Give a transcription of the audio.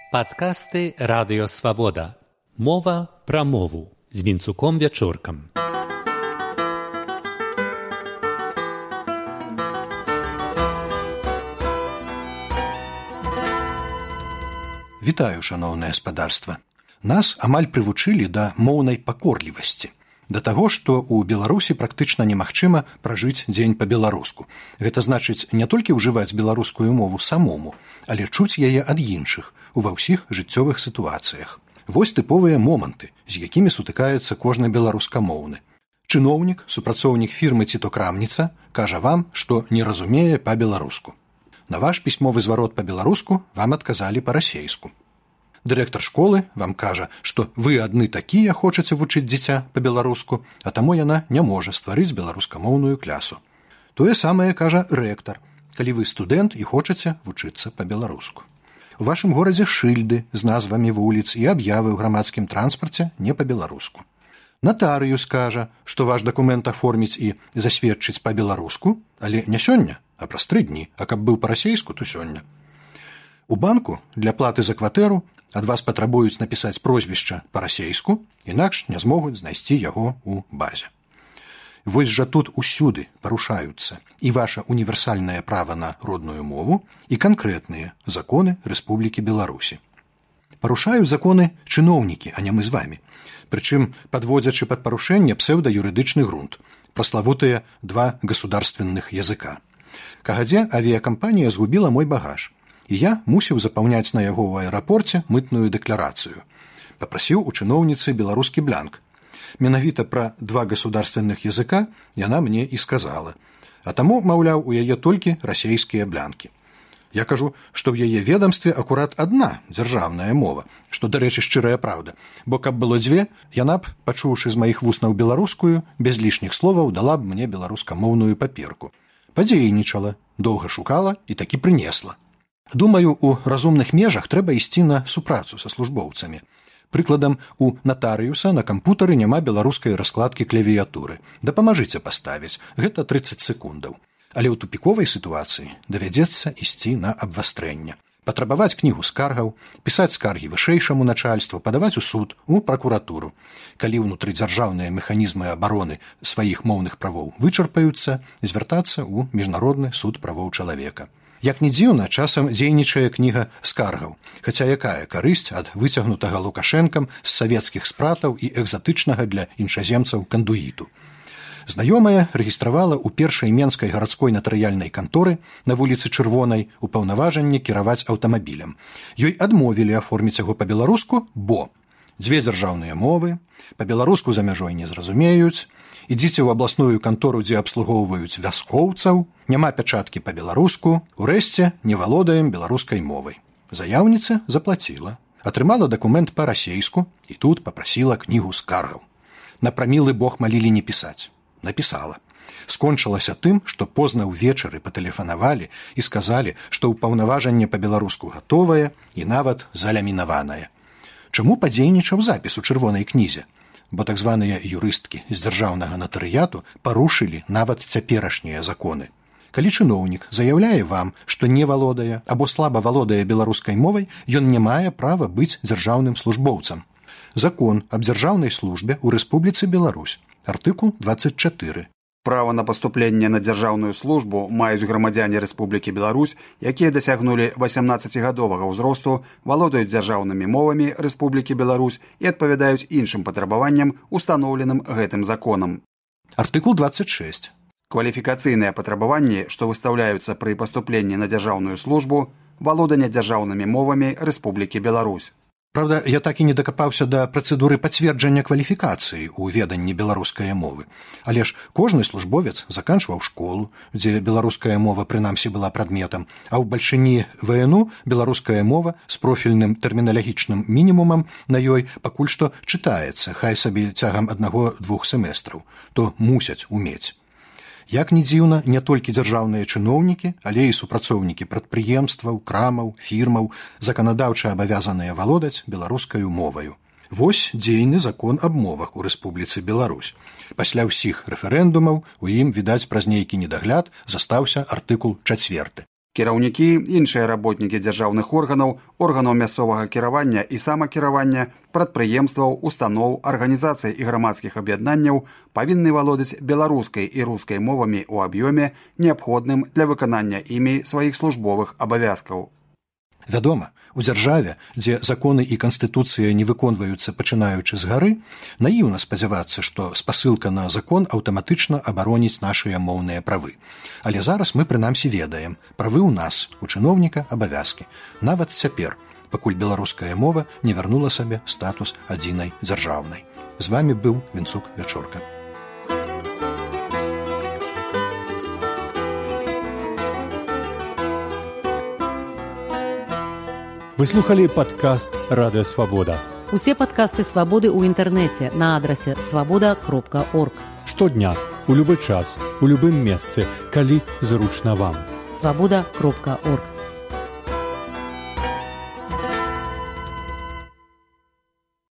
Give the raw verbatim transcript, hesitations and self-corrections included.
Падкасты Радыё Свабода. Мова пра мову з Вінцуком Вячоркам. Вітаю, шаноўнае спадарства. Нас амаль прывучылі да моўнай пакорлівасці. Да таго, што ў Беларусі практычна немагчыма пражыць дзень па-беларуску. Гэта значыць не толькі ўжываць беларускую мову самому, але чуць яе ад іншых ува ўсіх жыццёвых сітуацыях. Вось тыповыя моманты, з якімі сутыкаецца кожны беларускамоўны. Чыноўнік, супрацоўнік фірмы ці то крамніца кажа вам, што не разумее па-беларуску. На ваш пісьмовы зварот па-беларуску вам адказалі па-расейску. Дырэктар школы вам кажа, што вы адны такія хочаце вучыць дзіця па-беларуску, а таму яна не можа стварыць беларускамоўную клясу. Тое самае кажа рэктар, калі вы студэнт і хочаце вучыцца па-беларуску. У вашым горадзе шыльды з назвамі вуліц і аб'явы ў грамадскім транспарце не па-беларуску. Натарыюс кажа, што ваш дакумент аформіць і засведчыць па-беларуску, але не сёння, а праз тры дні, а каб быў па-расейску, то сёння. У банку для платы за кватэру ад вас патрабуюць напісаць прозвішча па-расейску, інакш не змогуць знайсці яго ў базе. Вось жа тут усюды парушаюцца і ваша універсальнае права на родную мову і канкрэтныя законы Рэспублікі Беларусі. Парушаюць законы чыноўнікі, а не мы з вамі. Прычым падводзячы пад парушэнне псеўдаюрыдычны грунт, праславутыя два государственных языка. Кагадзе авіякампанія згубіла мой багаж, і я мусіў запаўняць на яго ў аэрапорце мытную дэкларацыю. Папрасіў у чыноўніцы беларускі бланк. Менавіта пра два государственных языка яна мне і сказала. А таму, маўляў, у яе толькі расейскія блянкі. Я кажу, што ў яе ведамстве акурат адна дзяржаўная мова, што, дарэчы, шчырая праўда, бо каб было дзве, яна б, пачуўшы з маіх вуснаў беларускую, без лішніх словаў дала б мне беларускамоўную паперку. Падзейнічала, доўга шукала і такі прынесла. Думаю, у разумных межах трэба ісці на супрацу са службоўцамі. Прыкладам, у натарыюса на кампутары няма беларускай раскладкі клавіятуры. Дапамажыце паставіць, гэта трыццаць секундаў. Але ў тупіковай сітуацыі давядзецца ісці на абвастрэнне. Патрабаваць кнігу скаргаў, пісаць скаргі вышэйшаму начальству, падаваць у суд, у пракуратуру. Калі ўнутрыдзяржаўныя механізмы абароны сваіх моўных правоў вычарпаюцца, звяртацца ў міжнародны суд правоў чалавека. Як не дзіўна, часам дзейнічае кніга скаргаў, хаця якая карысць ад выцягнутага Лукашэнкам з савецкіх спратаў і экзатычнага для іншаземцаў кандуіту. Знаёмая рэгістравала ў першай менскай гарадской натарыяльнай канторы на вуліцы Чырвонай упаўнаважанне кіраваць аўтамабілем. Ёй адмовілі аформіць яго па-беларуску, бо дзве дзяржаўныя мовы, па-беларуску за мяжой не зразумеюць, ідзіце ў абласную кантору, дзе абслугоўваюць вяскоўцаў, няма пячаткі па-беларуску, урэшце не валодаем беларускай мовай. Заяўніца заплаціла, атрымала дакумент па-расейску і тут папрасіла кнігу скаргаў. На прамілы бог малілі не пісаць. Напісала. Скончылася тым, што позна ўвечары патэлефанавалі і сказалі, што ўпаўнаважанне па-беларуску гатовае і нават залямінаванае. Чаму падзейнічаў запіс у чырвонай кнізе? Бо так званыя юрысткі з дзяржаўнага натарыяту парушылі нават цяперашнія законы. Калі чыноўнік заяўляе вам, што не валодае або слаба валодае беларускай мовай, ён не мае права быць дзяржаўным службоўцам. Закон аб дзяржаўнай службе ў Рэспубліцы Беларусь, артыкул двадцать чатыры. Права на паступленне на дзяржаўную службу маюць грамадзяне Рэспублікі Беларусь, якія дасягнулі васямнаццацігадовага ўзросту, валодаюць дзяржаўнымі мовамі Рэспублікі Беларусь і адпавядаюць іншым патрабаванням, устаноўленым гэтым законам. Артыкул двадцать шесть. Кваліфікацыйныя патрабаванні, што выстаўляюцца пры паступленні на дзяржаўную службу, валоданне дзяржаўнымі мовамі Рэспублікі Беларусь. Праўда, я так і не дакапаўся да працэдуры пацверджання кваліфікацыі ў веданні беларускай мовы. Але ж кожны службовец заканчваў школу, дзе беларуская мова прынамсі была прадметам, а ў бальшыні ВНУ беларуская мова з профільным тэрміналагічным мінімумам на ёй пакуль што чытаецца, хай сабе цягам аднаго-двух семестраў, то мусяць умець. Як не дзіўна, не толькі дзяржаўныя чыноўнікі, але і супрацоўнікі прадпрыемстваў, крамаў, фірмаў заканадаўча абавязаныя валодаць беларускаю моваю. Вось дзейны закон аб мовах у Рэспубліцы Беларусь. Пасля ўсіх рэферэндумаў у ім, відаць, праз нейкі недагляд застаўся артыкул чацверты. Кіраўнікі, іншыя работнікі дзяржаўных органаў, органаў мясцовага кіравання і самакіравання, прадпрыемстваў, устаноў, арганізацый і грамадскіх аб'яднанняў павінны валодаць беларускай і рускай мовамі ў аб'ёме, неабходным для выканання імі сваіх службовых абавязкаў. Вядома, у дзяржаве, дзе законы і канстытуцыя не выконваюцца пачынаючы з гары, наіўна спадзявацца, што спасылка на закон аўтаматычна абароніць нашыя моўныя правы. Але зараз мы прынамсі ведаем, правы ў нас, у чыноўніка абавязкі. Нават цяпер, пакуль беларуская мова не вярнула сабе статус адзінай дзяржаўнай. З вамі быў Вінцук Вячорка. Вы слухали падкаст «Радыё Свабода». Усе падкасты «Свабоды» ў інтэрнэце на адрасе свабода кропка орг. Штодня, у любы час, у любым месцы, калі зручна вам. свабода кропка орг.